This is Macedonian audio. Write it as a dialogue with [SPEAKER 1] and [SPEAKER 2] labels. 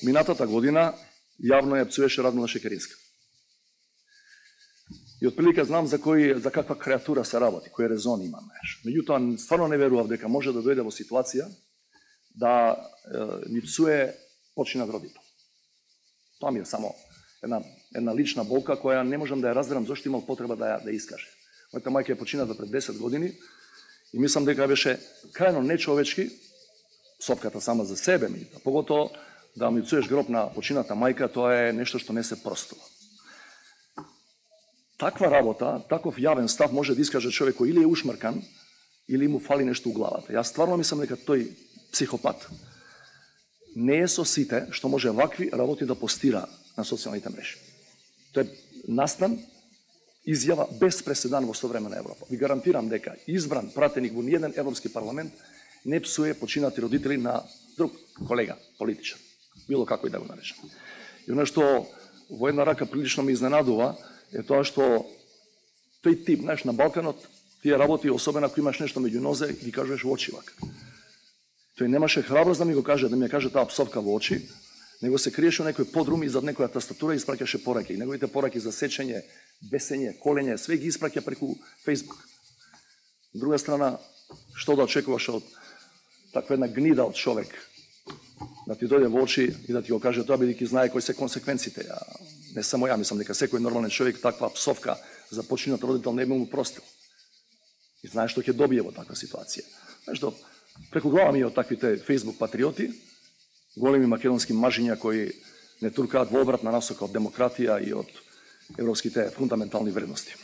[SPEAKER 1] минатата година јавно ја пцуеше Радмила Шекеринска. И отприлика знам за каква креатура се работи, кој резон има. Меѓутоа, стварно не верував дека може да дојде во ситуација да ни псуе починат родител. Тоа ми е само една лична болка која не можам да ја разберам зашто имал потреба да ја искаже. Мојата мајка е почината пред 10 години и мислам дека беше крајно нечовечки, псовката сама за себе ми, поготово да ми пцуеш гроб на почината мајка, тоа е нешто што не се простува. Таква работа, таков јавен став може да искаже човек кој или е ушмркан, или му фали нешто у главата. Јас стварно мислам дека тој психопат не е со сите што може вакви работи да постира на социјалните мрежи. Тоа е настан, изјава без преседан во современа Европа. Ви гарантирам дека избран пратеник во ниеден европски парламент не псуе починати родители на друг колега, политичар, било како и да го наречем. И оно што во една рака прилично ме изненадува е тоа што тој тип, знаеш, на Балканот, тие работи, особено ако имаш нешто меѓу нозе, ги кажеш во очи вака. Тој немаше храброст да ми го каже, да ми ја каже таа псовка во очи, него се криеше некој подрум и зад некоја тастатура и испраќаше пораки. Неговите пораки за сечење, бесење, колење, све ги испраќа преку Facebook. Од друга страна, што да очекуваш од таква една гнида од човек, да ти дојде во очи и да ти го каже тоа, бидејќи знае кои се консеквенците. Не само ја, мислам дека секој нормален човек таква псовка за починат родител не би му простил. И знае што ќе добие во таква ситуација. Знаеш, преку глава ми од таквите Facebook патриоти, големи македонски мажиња кои не туркаат во обратна насока од демократија и од европските фундаментални вредности.